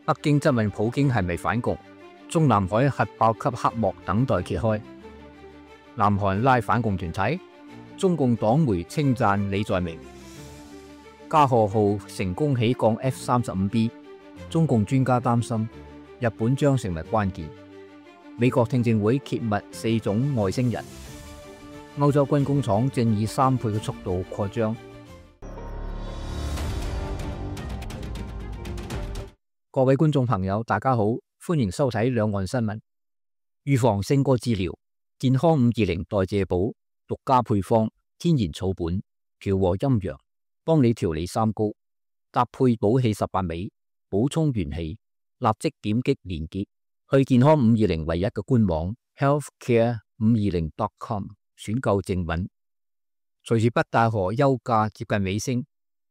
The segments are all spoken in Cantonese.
北京質問普京係咪反共，中南海核爆級黑幕等待揭開。南韓拉反共團體，中共黨媒稱讚李在明。加賀號成功起降 F-35B， 中共專家擔心日本將成為關鍵。美國聽證會揭密4種外星人。歐洲軍工廠正以3倍嘅速度擴張。各位觀眾朋友，大家好，歡迎收睇兩岸新聞。預防勝過治療，健康520代謝寶，獨家配方，天然草本，調和陰陽，幫你調理三高，搭配補氣18味，補充元氣。立即點擊連結去健康520唯一嘅官網 healthcare520.com 選購正品。隨住北戴河休假接近尾聲，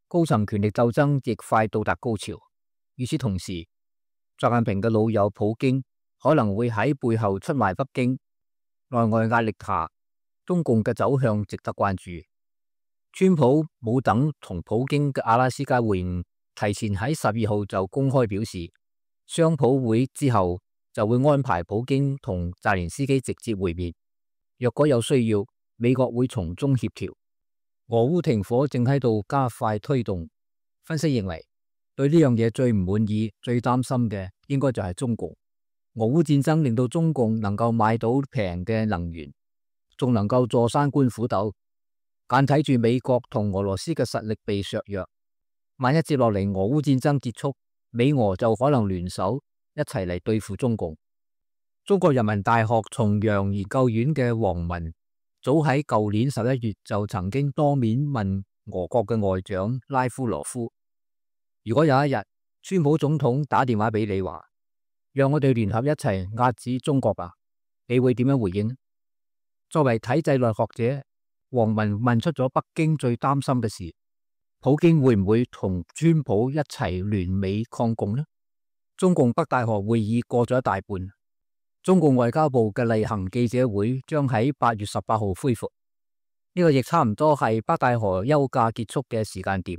高層權力鬥爭亦快到達高潮。與此同時，習近平嘅老友普京可能會喺背後出賣北京。內外壓力下，中共嘅走向值得關注。川普冇等同普京嘅阿拉斯加會晤，提前喺12號就公開表示，雙普會之後就會安排普京同澤連斯基直接會面。若果有需要，美國會從中協調。俄烏停火正喺度加快推動。分析認為，對呢樣嘢最唔滿意、最擔心嘅應該就係中共。俄烏戰爭令到中共能夠買到平嘅能源，仲能夠坐山觀虎鬥，眼睇住美國同俄羅斯嘅實力被削弱。萬一接落嚟俄烏戰爭結束，美俄就可能聯手一齊嚟對付中共。中國人民大學重陽研究院嘅王文早喺舊年11月就曾經當面問俄國嘅外長拉夫羅夫，如果有一日川普總統打電話俾你話，讓我哋聯合一齊壓制中國吧，你會點樣回應？作為體制內學者，王文問出咗北京最擔心嘅事，普京會唔會同川普一齊聯美抗共呢？中共北戴河會議過咗一大半，中共外交部嘅例行記者會將喺8月18號恢復，呢個亦差唔多係北戴河休假結束嘅時間點。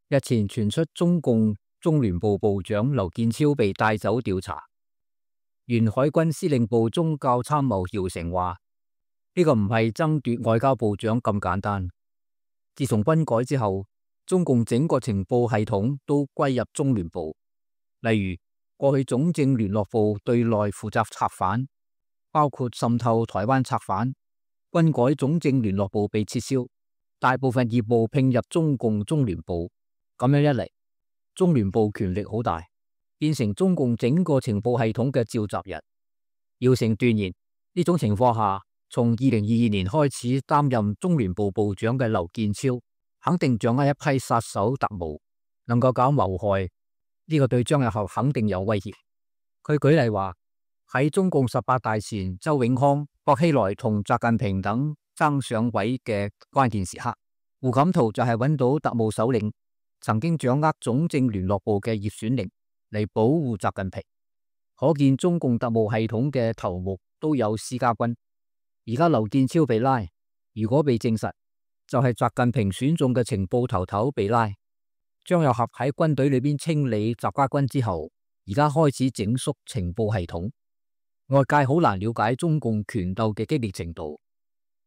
日前傳出中共中聯部部長劉建超被帶走調查，原海軍司令部宗教參謀姚成話，呢個唔係爭奪外交部長咁簡單。自從軍改之後，中共整個情報系統都歸入中聯部，例如過去總政聯絡部對內負責策反，包括滲透台灣策反。軍改總政聯絡部被撤銷，大部分業務併入中共中聯部。咁樣一嚟，中聯部權力好大，變成中共整個情報系統嘅召集人。姚成斷言，呢種情況下，從2022年開始擔任中聯部部長嘅劉建超，肯定掌握一批殺手特務，能夠搞謀害，呢個對張日後肯定有威脅。佢舉例話，喺中共18大前，周永康、薄熙來同習近平等爭上位嘅關鍵時刻，胡錦濤就係揾到特務首領，曾經掌握總政聯絡部嘅葉選寧嚟保護習近平。可見中共特務系統嘅頭目都有私家軍。而家劉建超被拉，如果被證實，就係習近平選中嘅情報頭頭被拉。張又俠喺軍隊裏邊清理習家軍之後，而家開始整肅情報系統。外界好難了解中共權鬥嘅激烈程度。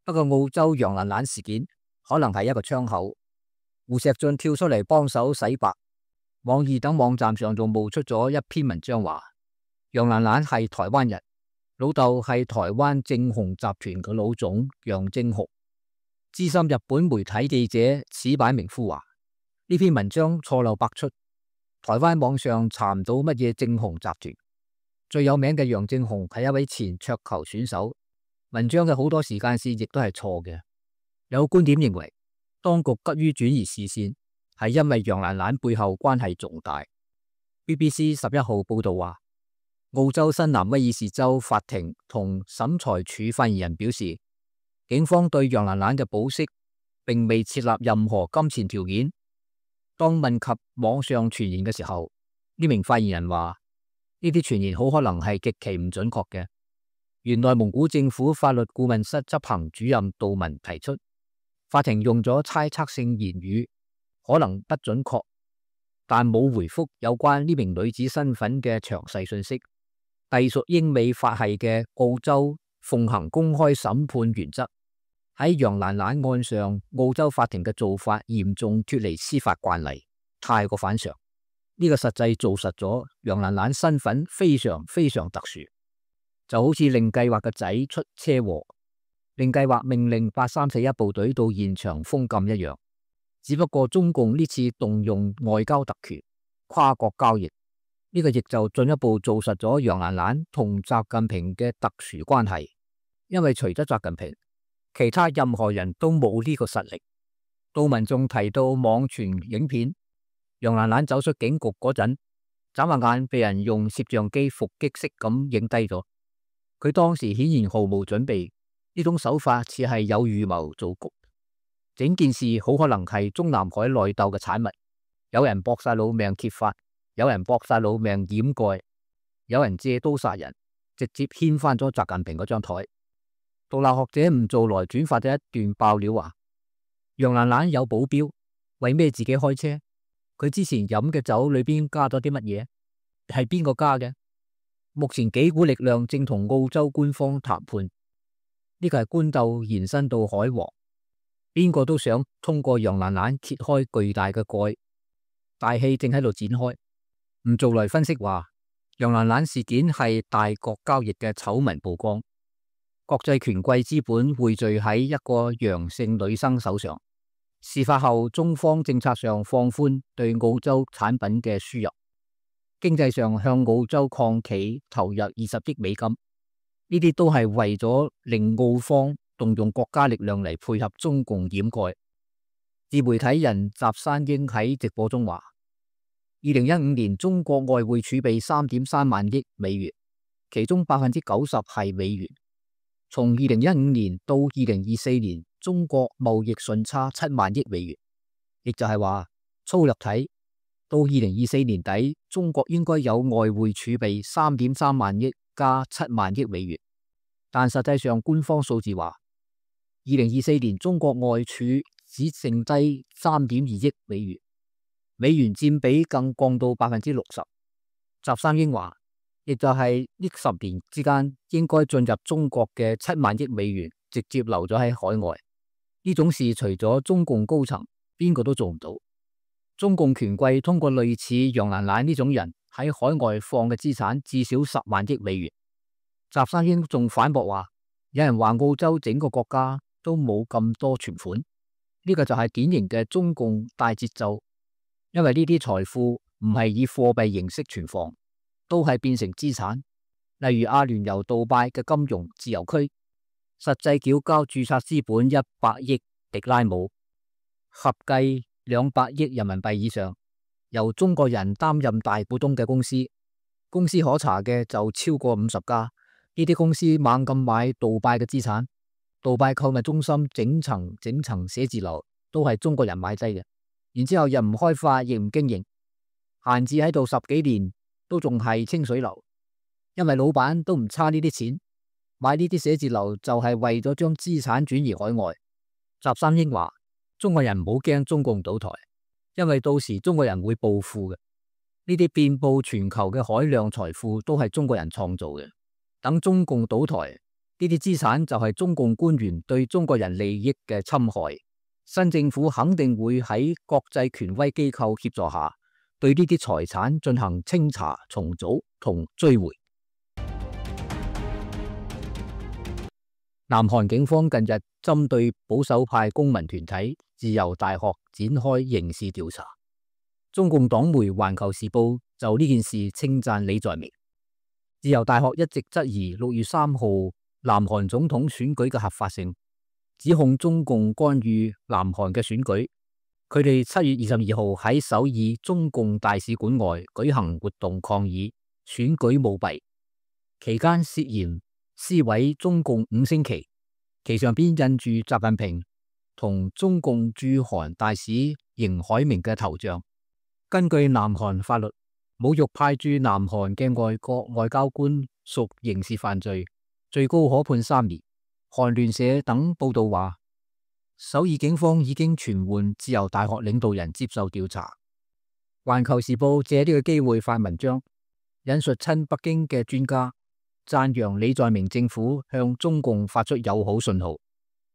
不過澳洲楊蘭蘭事件可能係一個窗口。胡錫進跳出嚟幫手洗白，網易等網站上仲冒出咗一篇文章話，楊蘭蘭係台灣人，老豆係台灣正紅集團嘅老總楊正雄。資深日本媒體記者矢板明夫話，呢篇文章錯漏百出，台灣網上查唔到乜嘢正紅集團。最有名嘅楊正雄係一位前桌球選手，文章嘅好多時間線亦都係錯嘅。有觀點認為，當局急於轉移視線，係因為楊蘭蘭背後關係重大。BBC 11號報道話，澳洲新南威爾士州法庭同審裁處發言人表示，警方對楊蘭蘭嘅保釋並未設立任何金錢條件。當問及網上傳言嘅時候，呢名發言人話，呢啲傳言好可能係極其唔準確嘅。原內蒙古政府法律顧問室執行主任杜文提出，法庭用咗猜測性言語，可能不準確。但冇回覆有關呢名女子身份嘅詳細信息。隸屬英美法系嘅澳洲奉行公開審判原則，喺楊蘭蘭案上，澳洲法庭嘅做法嚴重脫離司法慣例，太過反常。呢個實際做實咗楊蘭蘭身份非常非常特殊，就好似令計劃嘅仔出車禍，令計劃命令8341部隊到現場封禁一樣。只不過中共呢次動用外交特權，跨國交易，呢個亦就進一步做實咗楊蘭蘭同習近平嘅特殊關係。因為除咗習近平，其他任何人都冇呢個實力。杜文仲提到網傳影片，楊蘭蘭走出警局嗰陣，眨下眼被人用攝像機伏擊式咁影低咗。佢當時顯然毫無準備，呢種手法似係有預謀做局。整件事好可能係中南海內鬥嘅產物，有人搏晒老命揭發，有人搏晒老命掩蓋，有人借刀殺人，直接掀翻咗習近平嗰張台。獨立學者吳做來轉發咗一段爆料話，楊蘭蘭有保鏢，為咩自己開車？佢之前飲嘅酒裏邊加咗啲乜嘢？係邊個加嘅？目前幾股力量正同澳洲官方談判，呢個係官鬥延伸到海皇。邊個都想通過楊蘭蘭揭開巨大嘅蓋，大戲正喺度展開。吳做來分析話，楊蘭蘭事件係大國交易嘅醜聞曝光，國際權貴資本匯聚喺一個楊姓女生手上。事發後，中方政策上放寬對澳洲產品嘅輸入，經濟上向澳洲礦企投入20億美金，呢啲都係為咗令澳方動用國家力量嚟配合中共掩蓋。自媒體人習山英喺直播中話，2015年中國外匯儲備3.3萬億美元，其中90%係美元。從2015年到2024年，中國貿易順差7萬億美元，亦就係話粗略睇，到2024年底，中國應該有外匯儲備3.3萬億加7萬億美元。但實際上官方數字話，2024年中國外儲只剩低3.2億美元，美元佔比更降到60%。習三英話，亦就係呢10年之間，應該進入中國嘅7萬億美元，直接留咗喺海外。呢種事除咗中共高層，邊個都做唔到。中共權貴通過類似楊蘭蘭呢種人喺海外放嘅資產至少10萬億美元。習三英仲反駁話，有人話澳洲整個國家都冇咁多存款，呢個就係典型嘅中共大節奏，因為呢啲財富唔係以貨幣形式存放，都係變成資產。例如阿聯酋杜拜嘅金融自由區，實際繳交註冊資本100億迪拉姆，合計200億人民幣以上，由中國人擔任大股東嘅公司可查嘅就超過50家。呢啲公司猛咁買杜拜嘅資產，杜拜購物中心整層寫字樓都係中國人買低嘅，然之後又唔開發亦唔經營，閒置喺度10幾年都仲係清水樓，因為老闆都唔差呢啲錢，買呢啲寫字樓就係為咗將資產轉移海外。習三英話，中國人唔好驚中共倒台，因為到時中國人會暴富嘅，呢啲遍佈全球嘅海量財富都係中國人創造嘅。等中共倒台，呢啲資產就係中共官員對中國人利益嘅侵害。新政府肯定會喺國際權威機構協助下，對呢啲財產進行清查、重組同追回。南韓警方近日針對保守派公民團體自由大學展開刑事調查。中共黨媒《環球時報》就呢件事稱讚李在明。自由大學一直質疑6月3號南韓總統選舉嘅合法性，指控中共干預南韓嘅選舉。佢哋7月22號喺首爾中共大使館外舉行活動抗議選舉舞弊，期間涉嫌撕毀中共5星旗，旗上邊印住習近平同中共駐韓大使邢海明嘅頭像。根據南韓法律，侮辱派駐南韓嘅外國外交官屬刑事犯罪，最高可判3年。韓聯社等報道話，首爾警方已經傳喚自由大學領導人接受調查。環球時報借呢個機會發文章，引述親北京嘅專家，讚揚李在明政府向中共發出友好信號。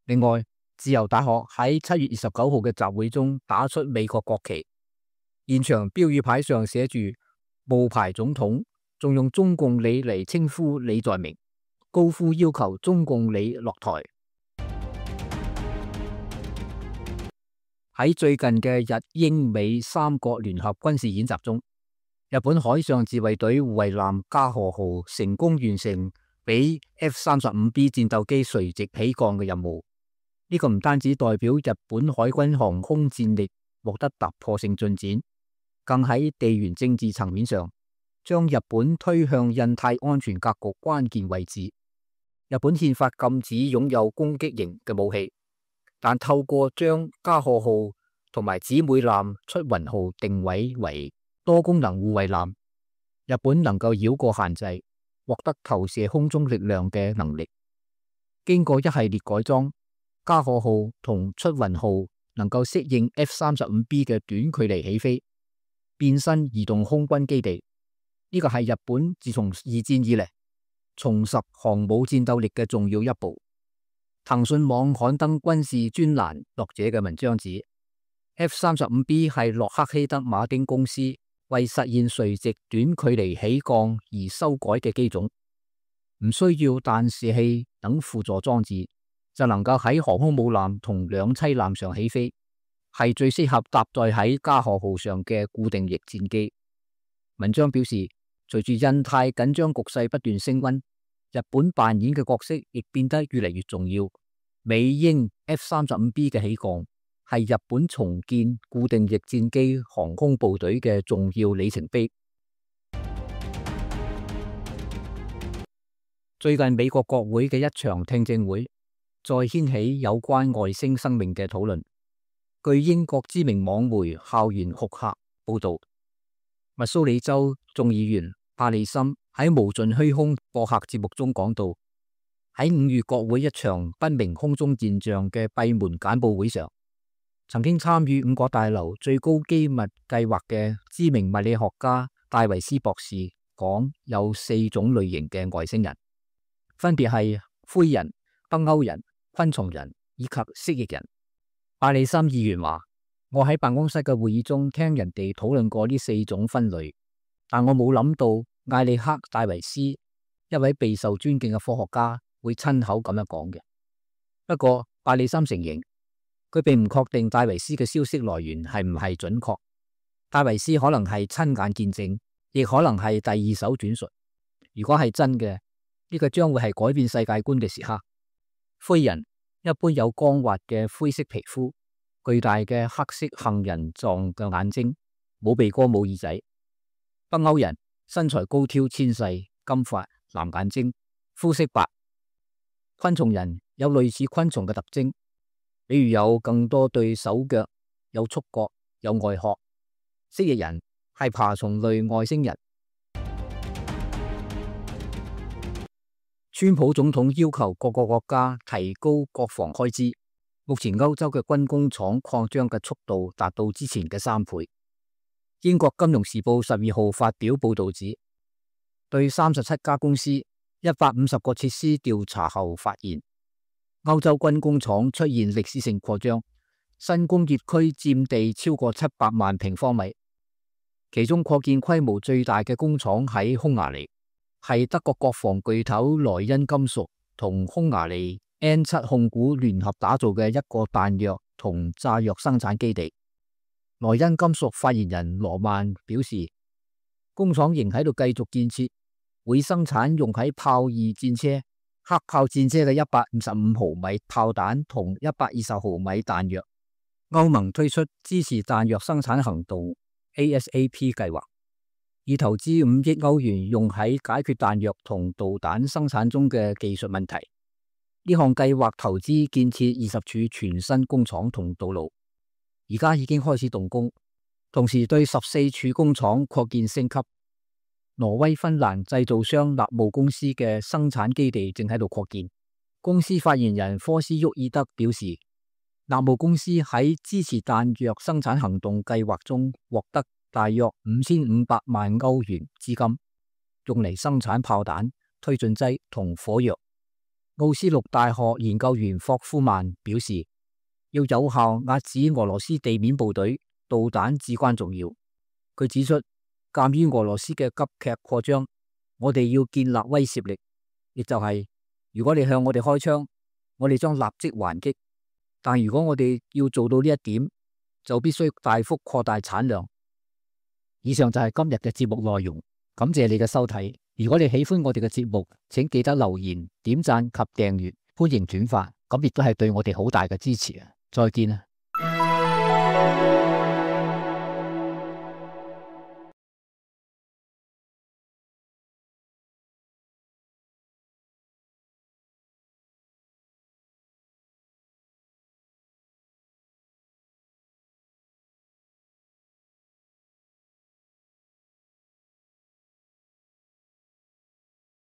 另外，自由大學喺7月29號嘅集會中打出美國國旗，現場標語牌上寫住冒牌總統，仲用中共李嚟稱呼李在明，高呼要求中共李落台。喺最近嘅日英美三國聯合軍事演習中，日本海上自衛隊護衛艦加賀號成功完成俾 F-35B 戰鬥機垂直起降嘅任務。呢個唔單止代表日本海軍航空戰力獲得突破性進展，更喺地緣政治層面上將日本推向印太安全格局關鍵位置。日本憲法禁止擁有攻擊型嘅武器，但透過將加賀號同埋姊妹艦出雲號定位為多功能護衛艦，日本能夠繞過限制，獲得投射空中力量嘅能力。經過一系列改裝，加賀號同出雲號能夠適應 F-35B 嘅短距離起飛，變身移動空軍基地。呢個係日本自從二戰以嚟重拾航母戰鬥力嘅重要一步。騰訊網刊登軍事專欄作者嘅文章指 ，F-35B 係洛克希德馬丁公司為實現垂直短距離起降而修改嘅機種，唔需要彈射器等輔助裝置，就能夠喺航空母艦同兩棲艦上起飛，係最適合搭載喺加賀號上嘅固定翼戰機。文章表示，隨住印太緊張局勢不斷升溫，日本扮演嘅角色亦變得越嚟越重要。美英 F-35B 嘅起降係日本重建固定翼戰機航空部隊嘅重要里程碑。最近美國國會嘅一場聽證會再掀起有關外星生命嘅討論。據英國知名網媒校園酷客報道，密蘇里州眾議員帕利森喺無盡虛空播客節目中講到，喺5月國會一場不明空中現象嘅閉門簡報會上，曾經參與5角大樓最高機密計劃嘅知名物理學家戴維斯博士講，有4種類型嘅外星人，分別係灰人、北歐人、昆蟲人以及蜥蜴人。帕利森議員話，我喺辦公室嘅會議中聽人哋討論過呢4種分類，但我冇諗到艾利克戴維斯，一位備受尊敬嘅科學家，會親口咁樣講嘅。不過帕利森承認，佢並唔確定戴維斯嘅消息來源係唔係準確。戴維斯可能係親眼見證，亦可能係第2手轉述。如果係真嘅，呢個將會係改變世界觀嘅時刻。灰人一般有光滑嘅灰色皮膚，巨大嘅黑色杏仁狀嘅眼睛，冇鼻哥冇耳仔。北歐人身材高挑纖細，金髮藍眼睛，膚色白。昆蟲人有類似昆蟲嘅特徵，比如有更多對手腳，有觸角，有外殼。蜥蜴人係爬蟲類外星人。川普總統要求各個國家提高國防開支。目前歐洲嘅軍工廠擴張嘅速度達到之前嘅3倍。英國金融時報12號發表報道指，對37家公司150個設施調查後發現，歐洲軍工廠出現歷史性擴張，新工業區佔地超過700萬平方米。其中擴建規模最大嘅工廠喺匈牙利，係德國國防巨頭萊茵金屬同匈牙利 N7 控股聯合打造嘅一個彈藥同炸藥生產基地。萊茵金屬發言人羅曼表示，工廠仍喺度繼續建設，會生產用喺豹2戰車、黑豹戰車嘅155毫米炮彈同120毫米彈藥。歐盟推出支持彈藥生產行動 ASAP 計劃，以投資5億歐元用喺解決彈藥同導彈生產中嘅技術問題。呢項計劃投資建設20處全新工廠同道路，而家已經開始動工，同時對14處工廠擴建升級。挪威芬蘭製造商納姆公司嘅生產基地正喺度擴建。公司發言人科斯沃爾德表示，納姆公司喺支持彈藥生產行動計劃中獲得大約5500萬歐元資金，用嚟生產炮彈、推進劑同火藥。奧斯陸大學研究員霍夫曼表示，要有效遏止俄羅斯地面部隊，導彈至關重要。佢指出，鑒於俄羅斯嘅急劇擴張，我哋要建立威懾力，亦就係如果你向我哋開槍，我哋將立即還擊。但如果我哋要做到呢一點，就必須大幅擴大產量。以上就係今日嘅節目內容，感謝你嘅收睇。如果你喜歡我哋嘅節目，請記得留言、點讚及訂閱，歡迎轉發，咁亦都係對我哋好大嘅支持啊！再見啊！